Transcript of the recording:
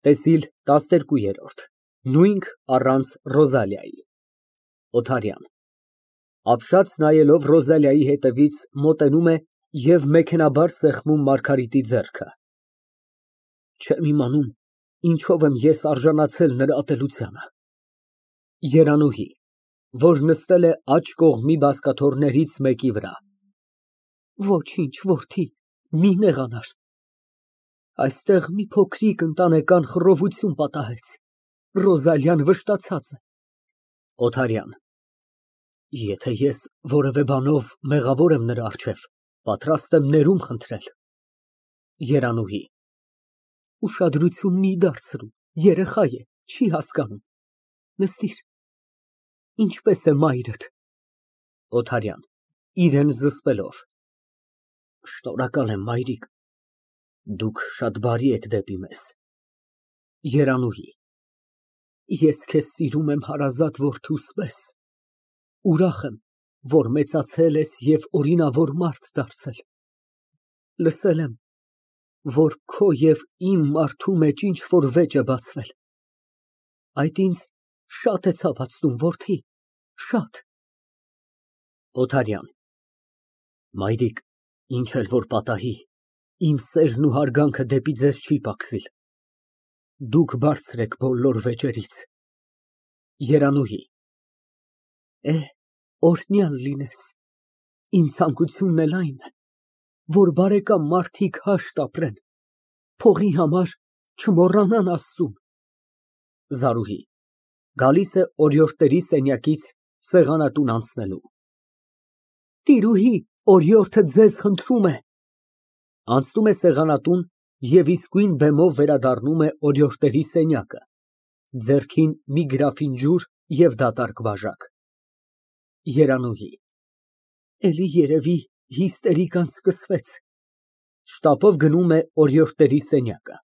ՏԵՍԻԼ ՏԱՍՆԵՐԿՈՒԵՐՈՐԴ Նույնք առանց Ռոզալիայի ՕԹԱՐՅԱՆ ֊ (Ապշած նայելով Ռոզալիայի հետևից, մոտենում է և մեքենայաբար սեղմում Մարգարիտի ձեռքը) Չեմ իմանում ինչով եմ ես արժանացել նրա ատելությանը։ ԵՐԱՆՈՒՀԻ ֊ (Որ նստել է աջ կողմի բազկաթոռներից մեկի վրա) Ոչինչ, որդի, մի նեղանար, այստեղ մի փոքրիկ ընտանեկան խռովություն պատահեց, Ռոզալիան վշտացած է։ ՕԹԱՐՅԱՆ ֊ Եթե ես որևէ բանով մեղավոր եմ նրա առջև, պատրաստ եմ ներումն խնդրել։ ԵՐԱՆՈՒՀԻ ֊ Ուշադրություն մի դարձրու, երեխա է, չի հասկանում, նստիր, ինչպե՞ս է մայրդ։ ՕԹԱՐՅԱՆ ֊ (Իրան զսպելով) Շնորհակալ եմ, մայրիկ, դուք շատ բարի եք դեպի մեզ։ ԵՐԱՆՈՒՀԻ ֊ Ես քեզ սիրում եմ հարազատ որդուս պես, ուրախ եմ, որ մեծացել ես և օրինավոր մարդ դարձել։ Լսել եմ, որ քո և իմ մարդու մեջ ինչ֊որ վեճ է բացվել, այդ ինձ շատ է ցավեցնում, որդի, շատ։ ՕԹԱՐՅԱՆ ֊ Մայրիկ, ինչ էլ որ պատահի, իմ սերն ու հարգանքը դեպի ձեզ չի պակասիլ, դուք բարձր եք բոլոր վեճերից։ ԵՐԱՆՈՒՀԻ ֊ Օրհնյալ լինես, իմ ցանկությունն էլ այն է, որ բարեկամ մարդիկ հաշտ ապրեն, փողի համար չմոռանան Աստծուն։ ԶԱՐՈՒՀԻ ֊ (Գալիս է օրիորդների սենյակից սեղանատուն անցնելու) Տիրուհի, օրիորդը ձեզ խնդրում է։ (Անցնում է սեղանատուն և իսկույն բեմով վերադառնում է օրիորդների սենյակը, ձեռքին մի գրաֆին ջուր և դատարկ բաժակ)։ ԵՐԱՆՈՒՀԻ ֊ Էլի երևի հիստերիկան սկսվեց։ (Շտապով գնում է օրիորդների սենյակը)։